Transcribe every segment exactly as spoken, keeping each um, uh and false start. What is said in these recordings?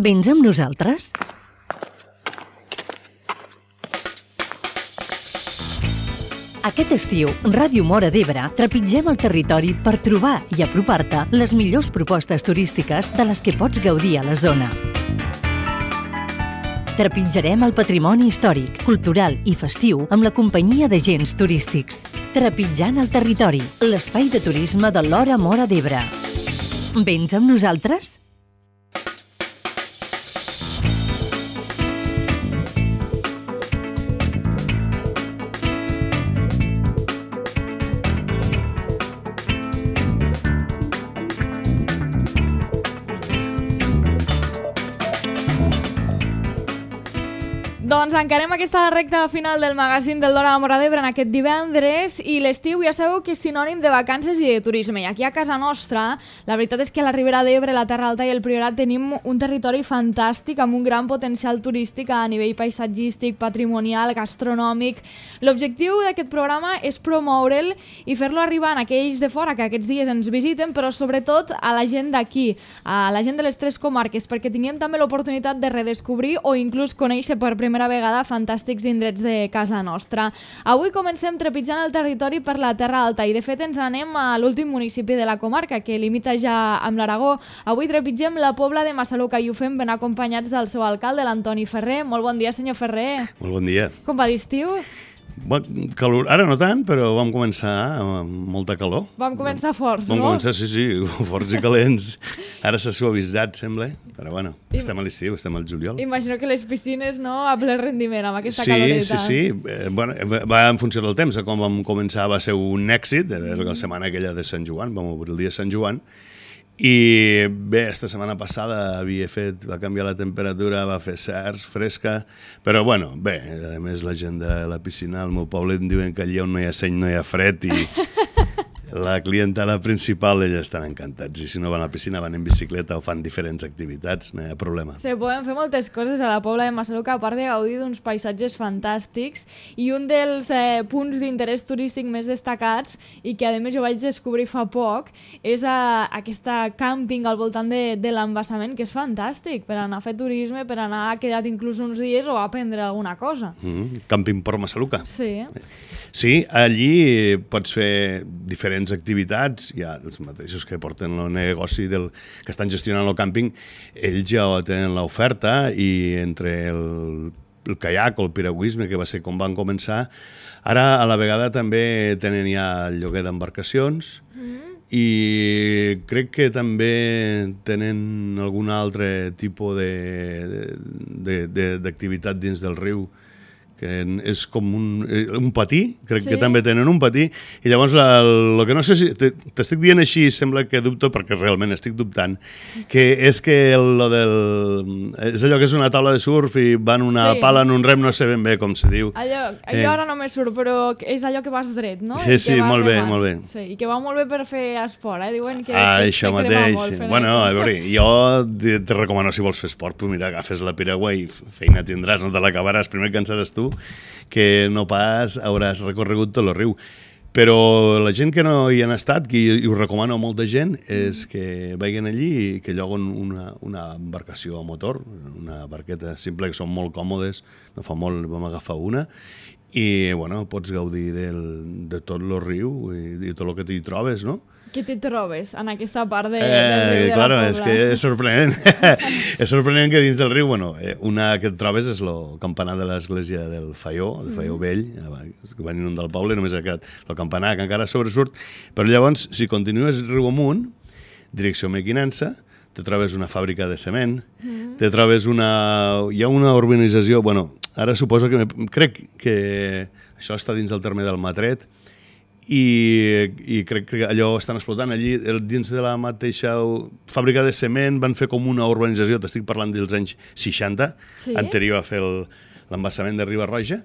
Vens amb nosaltres? Aquest estiu, Ràdio Móra d'Ebre trepitgem el territori per trobar i apropar-te les millors propostes turístiques de les que pots gaudir a la zona. Trepitjarem el patrimoni històric, cultural i festiu amb la companyia d'agents turístics. Trepitjant el territori, l'espai de turisme de l'Hora Móra d'Ebre. Vens amb nosaltres? Doncs encarem aquesta recta final del magazín del l'Hora Móra d'Ebre en aquest divendres i l'estiu ja sabeu que és sinònim de vacances i de turisme. I aquí a casa nostra, la veritat és que a la Ribera d'Ebre, la Terra Alta i el Priorat tenim un territori fantàstic amb un gran potencial turístic a nivell paisatgístic, patrimonial, gastronòmic. L'objectiu d'aquest programa és promoure'l i fer-lo arribar a aquells de fora que aquests dies ens visiten, però sobretot a la gent d'aquí, a la gent de les tres comarques, perquè tinguem també l'oportunitat de redescobrir o inclús conèixer per primera vegada fantàstics indrets de casa nostra. Avui comencem trepitjant el territori per la Terra Alta i de fet ens anem a l'últim municipi de la comarca que limita ja amb l'Aragó. Avui trepitgem la Pobla de Massaluca i ho fem ben acompanyats del seu alcalde, l'Antoni Ferrer. Molt bon dia, senyor Ferrer. Molt bon dia. Com va l'estiu? Bon, calor, ara no tant, però vam començar amb molta calor. Vam començar forts, vam no? Vam començar, sí, sí, forts i calents. Ara s'ha suavitzat, sembla, però bueno, I... estem a l'estiu, estem al juliol. Imagino que les piscines, no?, a ple rendiment, amb aquesta sí, caloreta. Sí, sí, sí. Eh, bueno, va en funció del temps. Com vam començar va ser un èxit, era la setmana aquella de Sant Joan, vam obrir el dia de Sant Joan, i bé, esta setmana passada havia fet, va canviar la temperatura, va fer cerç, fresca, però bueno, bé, a més la gent de la piscina al meu poble em diuen que allà on no hi ha seny no hi ha fred i la clientela principal, ells estan encantats, i si no van a la piscina van en bicicleta o fan diferents activitats, no hi ha problema. Sí, podem fer moltes coses a la Pobla de Massaluca, a part de gaudir d'uns paisatges fantàstics, i un dels eh, punts d'interès turístic més destacats, i que a més jo vaig descobrir fa poc, és a, aquesta càmping al voltant de, de l'embassament, que és fantàstic, per anar a fer turisme, per anar a quedar inclús uns dies o a aprendre alguna cosa. Mm, Càmping Port Massaluca. Sí. Sí, allí pots fer diferents activitats, hi ha els mateixos que porten el negoci del, que estan gestionant el càmping, ells ja tenen l'oferta i entre el, el caiac o el piragüisme, que va ser com van començar, ara a la vegada també tenen ja el lloguer d'embarcacions mm. i crec que també tenen algun altre tipus d'activitat dins del riu, que és com un, un patí, crec sí. que també tenen un patí, i llavors el que no sé si t'estic dient així, sembla que dubto, perquè realment estic dubtant, que és que el, lo del, és allò que és una taula de surf i van una sí. pala en un rem, no sé ben bé com se diu. Allò, allò eh. ara no me surt, però és allò que vas dret, no? Sí, sí, molt bé, molt bé. Sí, i que va molt bé per fer esport, eh? Diuen que, ah, que, això que mateix. Molt bueno, a veure, jo te recomano, si vols fer esport, pues mira, agafes la piragua i feina tindràs, no te l'acabaràs, primer cansaràs tu, que no pas hauràs recorregut tot el riu. Però la gent que no hi han estat, que hi ho recomano a molta gent, és que vagin allí i que lloguen una, una embarcació a motor, una barqueta simple, que són molt còmodes, no fa molt vam agafar una, i bueno, pots gaudir del, de tot el riu i, i tot el que t'hi trobes, no? Què t'hi trobes en aquesta part de, eh, del riu de claro, la Pobla? És que és sorprenent. És sorprenent que dins del riu, bueno, una que et trobes és el campanar de l'església del Faió, el Faió mm. vell, que van inundar el poble, només ha quedat el campanar, que encara sobresurt, però llavors, si continues riu amunt, direcció Mequinensa, te trobes una fàbrica de cement, mm. te trobes una... Hi ha una urbanització, bueno, ara suposo que... Crec que això està dins del terme del Matret, i, i crec que allò estan explotant allí dins de la mateixa fàbrica de cement, van fer com una urbanització, t'estic parlant dels anys seixanta, sí? Anterior a fer l'embassament de Riba-roja,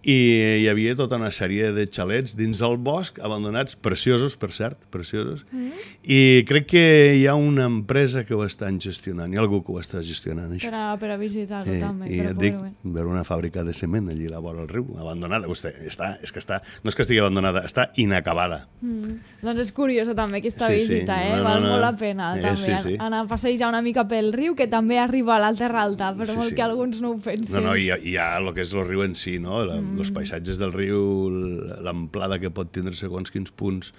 i hi havia tota una sèrie de xalets dins del bosc, abandonats, preciosos, per cert, preciosos, mm-hmm. i crec que hi ha una empresa que ho estan gestionant, hi ha algú que ho està gestionant, això. Per a, per a visitar-ho, eh, també. I et dic, veure una fàbrica de cement allí a la vora del riu, abandonada, vostè, està, és que està, no és que estigui abandonada, està inacabada. Mm. Doncs és curiosa també aquesta sí, visita, sí. eh? No, no, val no. molt la pena, Eh, també, sí, sí. anar a passejar una mica pel riu, que també arriba a la Terra Alta, per Sí, molt sí. que alguns no ho pensin. No, no, hi ha, hi ha el que és el riu en si, no? La, mm. Els paisatges del riu, l'amplada que pot tindre segons quins punts,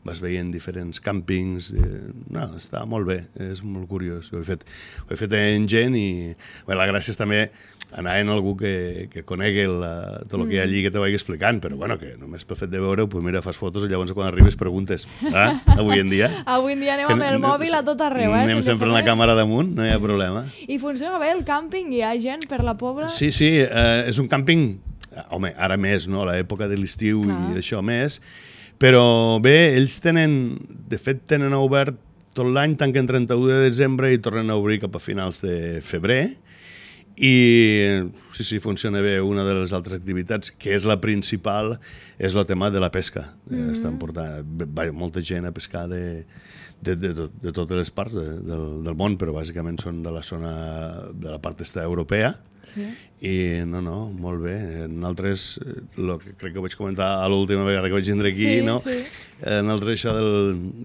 vas veient diferents càmpings, eh, no, està molt bé, és molt curiós. Ho he fet, ho he fet en gent i bé, la gràcia és també anar en algú que, que conegui la, tot el que hi ha allí que te vagi explicant, però bueno, que només pel fet de veure-ho, pues mira, fas fotos i llavors quan arribes preguntes. Ah, avui en dia... Avui en dia anem amb el mòbil a tot arreu, eh? Anem sempre amb la càmera damunt, no hi ha problema. I funciona bé el càmping? Hi ha gent per la Pobla? Sí, sí, eh, és un càmping, home, ara més, no?, a l'època de l'estiu i d'això més, però bé, ells tenen, de fet tenen obert tot l'any, tanquen trenta-u de desembre i tornen a obrir cap a finals de febrer, i sí, sí, funciona bé. Una de les altres activitats, que és la principal, és el tema de la pesca. Mm-hmm. Estan portant va, molta gent a pescar de, de, de, de, de totes les parts de, del, del món, però bàsicament són de la zona, de la part est europea. Sí. I no, no, molt bé. Nosaltres, el que crec que vaig comentar a l'última vegada que vaig vindre aquí, sí, no? Sí. Nosaltres això del,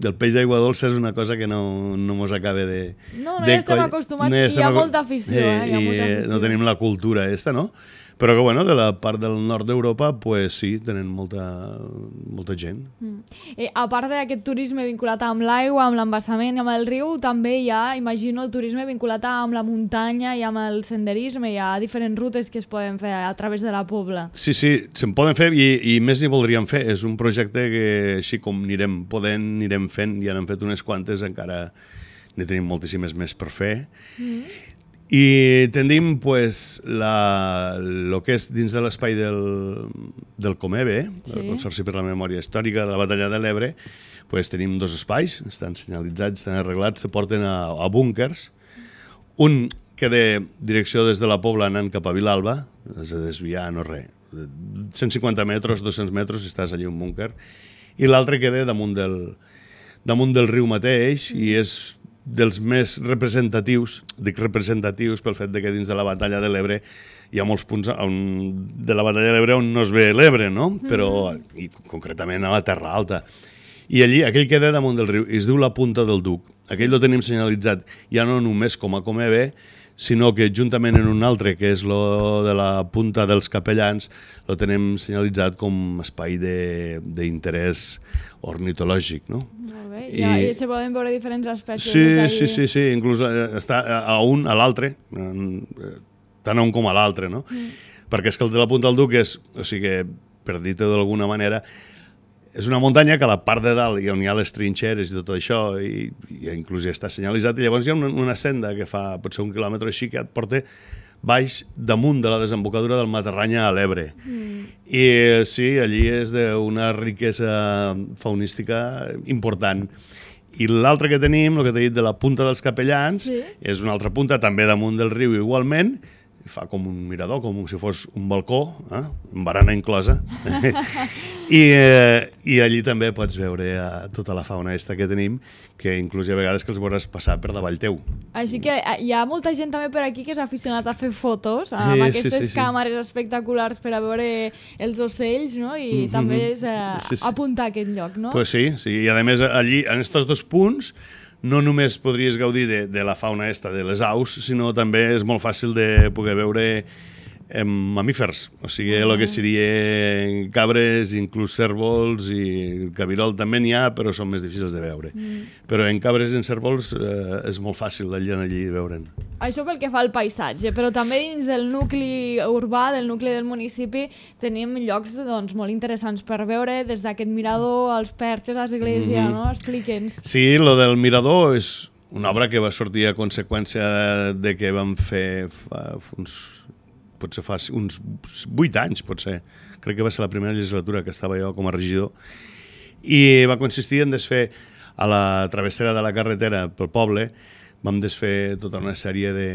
del peix d'aigua dolça és una cosa que no, no mos acaba de... No, no de hi estem coll... acostumats, no hi, hi ha molta afició. Eh, hi ha I molta afició. no tenim la cultura esta, no? Però que, bueno, de la part del nord d'Europa, pues sí, tenen molta, molta gent. Mm. Eh, a part d'aquest turisme vinculat amb l'aigua, amb l'embassament i amb el riu, també hi ha, imagino, el turisme vinculat amb la muntanya i amb el senderisme. Hi ha diferents rutes que es poden fer a través de la Pobla. Sí, sí, se'n poden fer i, i més n'hi voldríem fer. És un projecte que, així com anirem podent, anirem fent, ja n'hem fet unes quantes, encara n'hi tenim moltíssimes més per fer. Mm. I tendim pues, la, lo que és dins de l'espai del, del Comebe, sí. del Consorci per la Memòria Històrica de la Batalla de l'Ebre, pues, tenim dos espais, estan senyalitzats, estan arreglats, te porten a, a búnkers. Un que de direcció des de la Pobla anant cap a Vilalba, has de desviar, no res, cent cinquanta metres, dos-cents metres, si estàs allà un búnquer, i l'altre que de damunt del, damunt del riu mateix, mm. i és dels més representatius, dic representatius pel fet de que dins de la Batalla de l'Ebre hi ha molts punts on, de la Batalla de l'Ebre on no es ve l'Ebre, no? Però, i concretament a la Terra Alta. I allí, aquell que ve damunt del riu, es diu la Punta del Duc. Aquell lo tenim senyalitzat ja no només com a Comebe, sinó que juntament en un altre, que és lo de la Punta dels Capellans, lo tenim senyalitzat com espai d'interès ornitològic, no? Molt bé, I, ja, i se poden veure diferents aspectes. Sí, sí, sí, sí, inclús està a un, a l'altre, tant a un com a l'altre, no? Mm. Perquè és que el de la Punta del Duc és, o sigui, per dir-ho d'alguna manera, és una muntanya que a la part de dalt, on hi ha les trinxeres i tot això, i, i inclús ja està senyalitzat, i llavors hi ha una, una senda que fa potser un quilòmetre així que et porta baix damunt de la desembocadura del Matarranya a l'Ebre. Mm. I sí, allí és d'una riquesa faunística important. I l'altre que tenim, el que t'he dit de la Punta dels Capellans, sí. és una altra punta també damunt del riu igualment, fa com un mirador, com si fos un balcó, eh? amb barana inclosa. I, eh, I allí també pots veure eh, tota la fauna esta que tenim, que inclús hi ha vegades que els veuràs passar per davall teu. Així que hi ha molta gent també per aquí que és aficionat a fer fotos, amb eh, aquestes sí, sí, sí. càmeres espectaculars per a veure els ocells, no? I mm-hmm. també és eh, sí, sí. apuntar a aquest lloc, no? Pues sí, sí, i a més allí, en aquests dos punts, no només podries gaudir de, de la fauna esta de les aus, sinó també és molt fàcil de poder veure eh, mamífers, o sigui, el que seria cabres, inclús cérvols i cabirol també n'hi ha, però són més difícils de veure. Mm. Però en cabres i en cérvols eh, és molt fàcil d'allà allí veure'n. Això pel que fa al paisatge, però també dins del nucli urbà, del nucli del municipi, tenim llocs doncs, molt interessants per veure, des d'aquest mirador, els perxes, l'església, mm-hmm. no? Explique'ns. Sí, lo del mirador és una obra que va sortir a conseqüència de que vam fer fa uns, potser fa uns vuit anys, potser. Crec que va ser la primera legislatura que estava jo com a regidor. I va consistir en desfer a la travessera de la carretera pel poble vam desfer tota una sèrie de,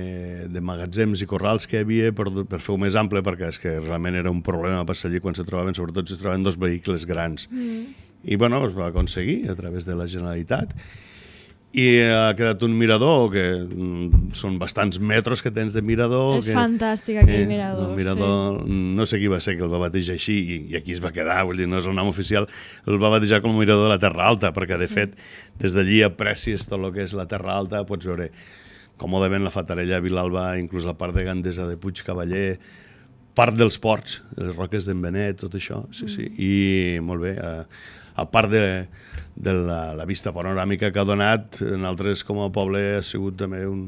de magatzems i corrals que hi havia per, per fer-ho més ample, perquè és que realment era un problema passar allí quan se trobaven, sobretot si es trobaven dos vehicles grans. Mm. I bueno, es va aconseguir a través de la Generalitat. I ha quedat un mirador, que mm, són bastants metres que tens de mirador. És que, fantàstic aquell eh, mirador. El mirador, sí. No sé qui va ser que el va batejar així i, i aquí es va quedar, vull dir, no és el nom oficial, el va batejar com el mirador de la Terra Alta, perquè de sí. fet, des d'allí aprecies tot el que és la Terra Alta, pots veure còmodament la Fatarella, Vilalba, inclús la part de Gandesa de Puig Cavaller, part dels ports, les roques d'en Benet, tot això, sí, sí, i molt bé, a, a part de, de la, la vista panoràmica que ha donat, nosaltres com a poble ha sigut també un,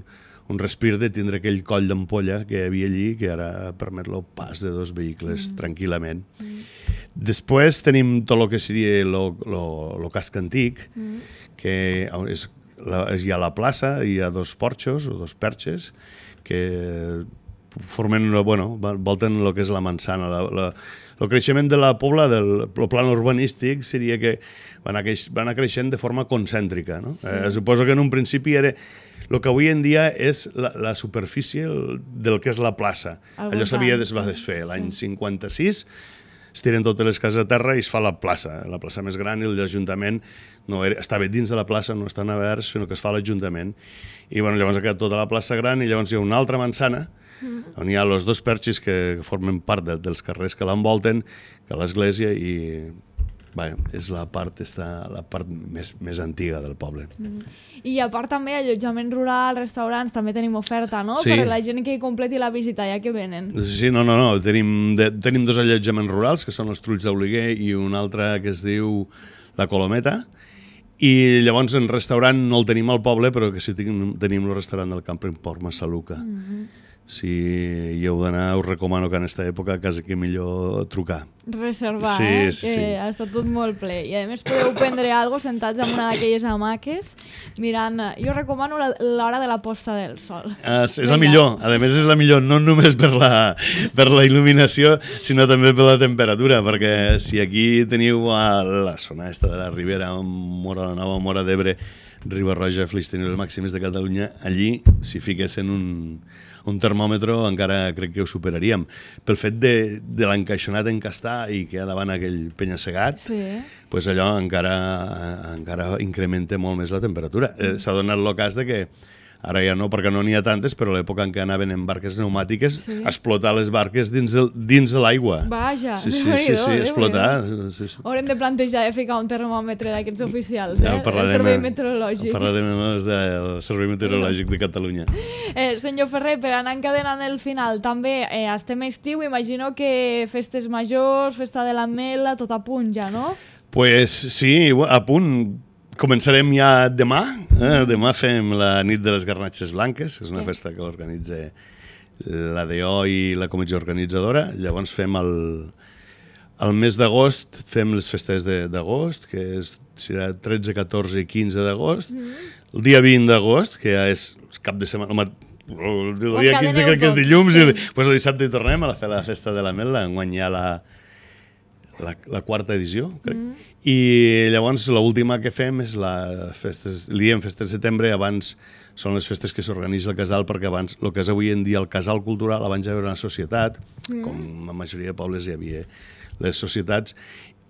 un respir de tindre aquell coll d'ampolla que hi havia allí, que ara permet el pas de dos vehicles mm. tranquil·lament. Mm. Després tenim tot el que seria el casc antic, mm. que és, la, hi ha la plaça, hi ha dos porxos o dos perxes, que formen, bueno, volten el que és la manzana. La, la, el creixement de la pobla, del el plan urbanístic, seria que va anar, va anar creixent de forma concèntrica. No? Sí. Eh, suposo que en un principi era el que avui en dia és la, la superfície del que és la plaça. Al Allò s'havia de desfer. L'any sí. cinquanta-sis es tiren totes les cases a terra i es fa la plaça, la plaça més gran, i l'Ajuntament no era, estava dins de la plaça, no estan oberts, sinó que es fa l'Ajuntament. I bueno, llavors ha quedat tota la plaça gran i llavors hi ha una altra manzana mm. on hi ha els dos perxis que formen part de, dels carrers que l'envolten, que l'església, i vaja, és la part, està, la part més, més antiga del poble. Mm. I a part també allotjament rural, restaurants, també tenim oferta, no? Sí. Per la gent que hi completi la visita, ja que venen. Sí, no, no, no. Tenim, de, tenim dos allotjaments rurals, que són els Trulls d'Oliguer, i un altre que es diu la Colometa. I llavors en restaurant no el tenim al poble, però que sí tenim, tenim el restaurant del Camping Port Massaluca. Mm-hmm. Si hi heu d'anar, us recomano que en aquesta època quasi que millor trucar. Reservar, sí, eh? Sí, que sí. ha estat tot molt ple. I a més podeu prendre alguna cosa sentats en una d'aquelles hamaques mirant... Jo recomano l'hora de la posta del sol. Uh, és la millor. A més és la millor no només per la, per la il·luminació, sinó també per la temperatura, perquè si aquí teniu a la zona esta de la Ribera, Mora la Nova, Mora d'Ebre, Riba-roja, Flix, teniu les màximes de Catalunya, allí, si fiquessin un... un termòmetre encara crec que ho superaríem. Pel fet de, de l'encaixonat encastar i que hi ha davant aquell penya-segat, sí. pues allò encara, encara incrementa molt més la temperatura. Eh, S'ha donat el cas de que ara ja no, perquè no n'hi ha tantes, però a l'època en què anaven en barques pneumàtiques, sí. explotar les barques dins, el, dins de l'aigua. Vaja, sí, sí, sí, sí, explotar. Sí, sí. Haurem de plantejar de ficar un termòmetre d'aquests oficials, eh? Ja el Servei Meteorològic. Parlarem del Servei Meteorològic de Catalunya. Eh, senyor Ferrer, per anar encadenant el final, també eh, estem estiu, imagino que festes majors, festa de l'Ametlla, tot a punt ja, no? Pues sí, a punt. Començarem ja demà. Eh? Demà fem la nit de les garnatxes blanques, que és una sí. festa que organitza l'A D O i la comissió organitzadora. Llavors fem el, el mes d'agost, fem les festes d'agost, que és, serà tretze, catorze i quinze d'agost. Mm. El dia vint d'agost, que ja és cap de setmana... El, el dia quinze crec que és dilluns, sí. i pues el dissabte hi tornem a fer la festa de l'Ametlla, enguany ja la... La, la quarta edició, crec. Mm. I llavors l'última que fem és la festes, li diem festes de setembre, abans són les festes que s'organitza al casal, perquè abans, el que és avui en dia el casal cultural, abans hi havia una societat, mm. com la majoria de pobles hi havia les societats,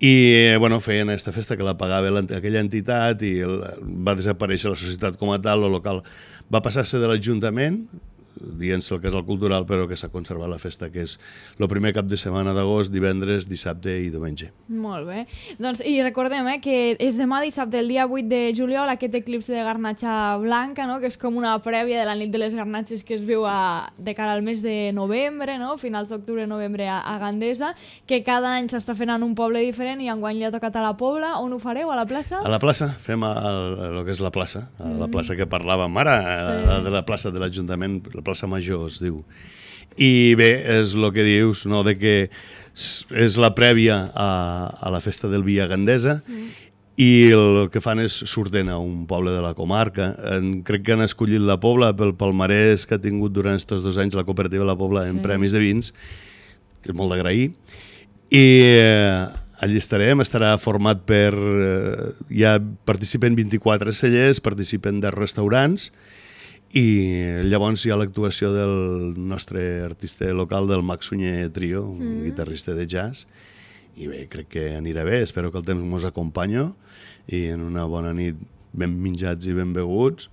i bueno, feien aquesta festa que la pagava aquella entitat i el, va desaparèixer la societat com a tal, el local va passar-se de l'Ajuntament, dient-se el casal cultural, però que s'ha conservat la festa, que és el primer cap de setmana d'agost, divendres, dissabte i diumenge. Molt bé. Doncs, i recordem eh, que és demà dissabte, el dia vuit de juliol, aquest eclipsi de garnatxa blanca, no? Que és com una prèvia de la nit de les garnatxes que es viu a, de cara al mes de novembre, no? Finals d'octubre, novembre a, a Gandesa, que cada any s'està fent en un poble diferent i enguany li ha tocat a la Pobla. On ho fareu? A la plaça? A la plaça. Fem el que és la plaça, a la plaça que parlàvem ara, sí. a, a la plaça de l'Ajuntament, la plaça Major es diu. I bé, és el que dius, no, de que és la prèvia a, a la festa del Via Gandesa mm. i el que fan és surten a un poble de la comarca. En, crec que han escollit la Pobla pel palmarès que ha tingut durant aquests dos anys la cooperativa de la Pobla en sí. premis de vins, que és molt d'agrair. I eh, allí estarem, estarà format per... Eh, ja participen vint-i-quatre cellers, participen deu restaurants, I llavors hi ha l'actuació del nostre artista local, del Max Sunyer Trio, un mm. guitarrista de jazz, i bé, crec que anirà bé, espero que el temps mos acompanyi i en una bona nit ben menjats i ben beguts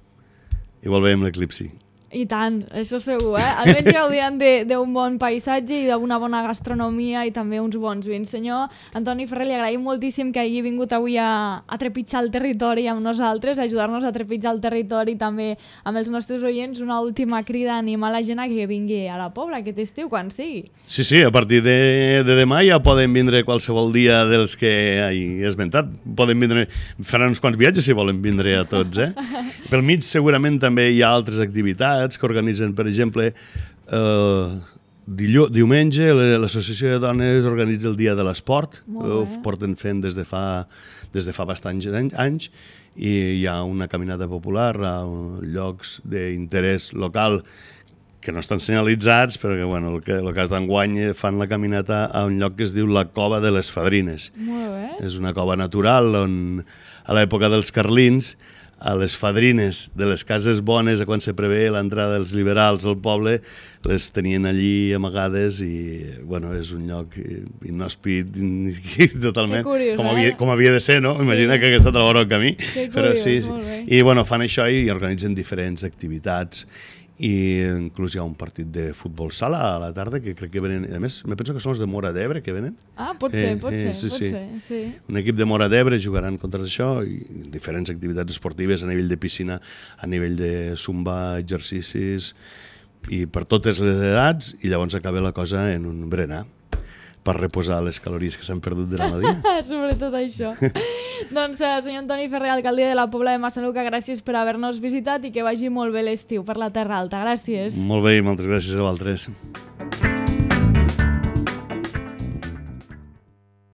igual veiem l'eclipsi. I tant, això segur, eh? Almenys gaudiran d'un bon paisatge i d'una bona gastronomia i també uns bons vins. Senyor Antoni Ferrer, li agraïm moltíssim que hagi vingut avui a, a trepitjar el territori amb nosaltres, a ajudar-nos a trepitjar el territori també amb els nostres oients. Una última crida a animar la gent a que vingui a la Pobla aquest estiu, quan sigui. Sí, sí, a partir de, de demà ja poden vindre qualsevol dia dels que he esmentat. Poden vindre, faran uns quants viatges si volen vindre a tots, eh? Pel mig segurament també hi ha altres activitats que organitzen, per exemple, eh, diumenge l'Associació de Dones organitza el Dia de l'Esport, ho porten fent des de fa, des de fa bastants anys, i hi ha una caminata popular a llocs d'interès local que no estan senyalitzats, perquè bueno, el, que, el cas d'enguany fan la caminata a un lloc que es diu la Cova de les Fadrines. Molt bé. És una cova natural on a l'època dels carlins a les fadrines de les cases bones, a quan se prevé l'entrada dels liberals al poble, les tenien allí amagades i, bueno, és un lloc inhòspit totalment, curiós, com, eh? havia, com havia de ser, no? Imagina sí. que hagués estat a la vora del camí. Que però curiós, sí, molt bé. I, bueno, fan això i organitzen diferents activitats i inclús hi ha un partit de futbol sala a la tarda que crec que venen, a més, me penso que són els de Móra d'Ebre que venen. Ah, pot ser, eh, pot eh, ser, sí, pot sí. ser, sí. Un equip de Móra d'Ebre jugaran contra això i diferents activitats esportives a nivell de piscina, a nivell de zumba, exercicis i per totes les edats, i llavors acaba la cosa en un berenar per reposar les calories que s'han perdut durant el dia. Sobretot això. Doncs, senyor Antoni Ferrer, alcalde de la Pobla de Massaluca, gràcies per haver-nos visitat i que vagi molt bé l'estiu per la Terra Alta. Gràcies. Molt bé i moltes gràcies a vosaltres.